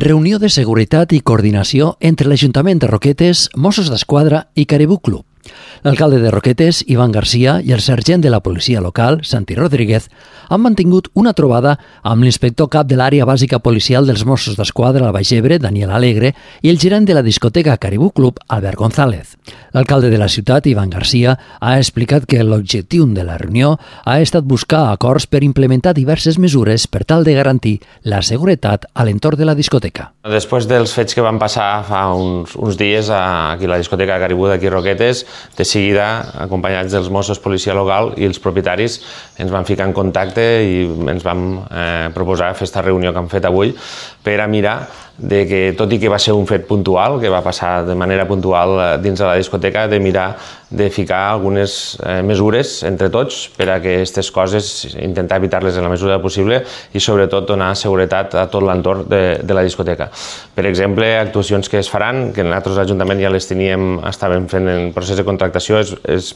Reunió de seguretat i coordinació entre l'Ajuntament de Roquetes, Mossos d'Esquadra i Caribou Club. L'alcalde de Roquetes, Iván García, i el sergent de la policia local, Santi Rodríguez, han mantingut una trobada amb l'inspector cap de l'àrea bàsica policial dels Mossos d'Esquadra al Baix Ebre, Daniel Alegre, i el gerent de la discoteca Caribou Club, Albert González. L'alcalde de la ciutat, Iván García, ha explicat que l'objectiu de la reunió ha estat buscar acords per implementar diverses mesures per tal de garantir la seguretat a l'entorn de la discoteca. Després dels fets que van passar fa uns dies aquí a la discoteca Caribou d'aquí Roquetes, de seguida, acompanyats dels Mossos, policia local i els propietaris, ens vam ficar en contacte i ens vam proposar fer aquesta reunió que hem fet avui per a mirar de que, tot i que va ser un fet puntual, que va passar de manera puntual dins de la discoteca, de mirar de ficar algunes mesures entre tots per a que aquestes coses, intentar evitar-les en la mesura possible i sobretot donar seguretat a tot l'entorn de la discoteca. Per exemple, actuacions que es faran, que nosaltres l'Ajuntament ja les estàvem fent en procés de contractació, és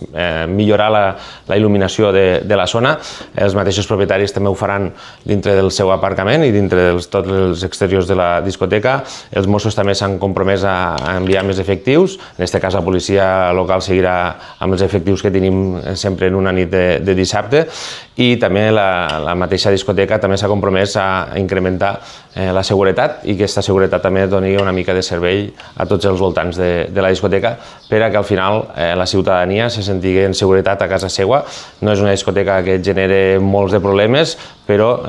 millorar la il·luminació de la zona. Els mateixos propietaris també ho faran dintre del seu aparcament i dintre de tots els exteriors de la discoteca. Els Mossos també s'han compromès a enviar més efectius. En aquest cas, la policia local seguirà amb els efectius que tenim sempre en una nit de dissabte, i també la mateixa discoteca també s'ha compromès a incrementar la seguretat i que aquesta seguretat també doni una mica de servei a tots els voltants de la discoteca per a que al final la ciutadania se senti en seguretat a casa seva. No és una discoteca que genere molts de problemes, però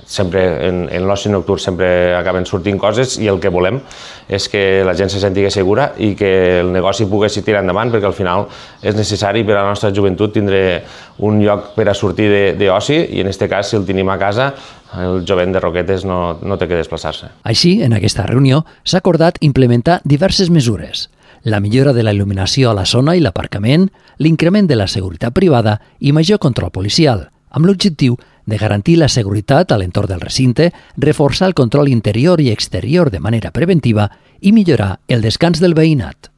sempre en l'oci nocturn sempre acaben sortint coses i el que volem és que la gent se senti segura i que el negoci pogués tirar endavant, perquè al final és necessari per a la nostra joventut tindre un lloc per a sortir d'oci i en aquest cas, si el tenim a casa, el jovent de Roquetes no té que desplaçar-se. Així, en aquesta reunió s'ha acordat implementar diverses mesures: la millora de la il·luminació a la zona i l'aparcament, l'increment de la seguretat privada i major control policial, amb l'objectiu de garantir la seguretat a l'entorn del recinte, reforçar el control interior i exterior de manera preventiva i millorar el descans del veïnat.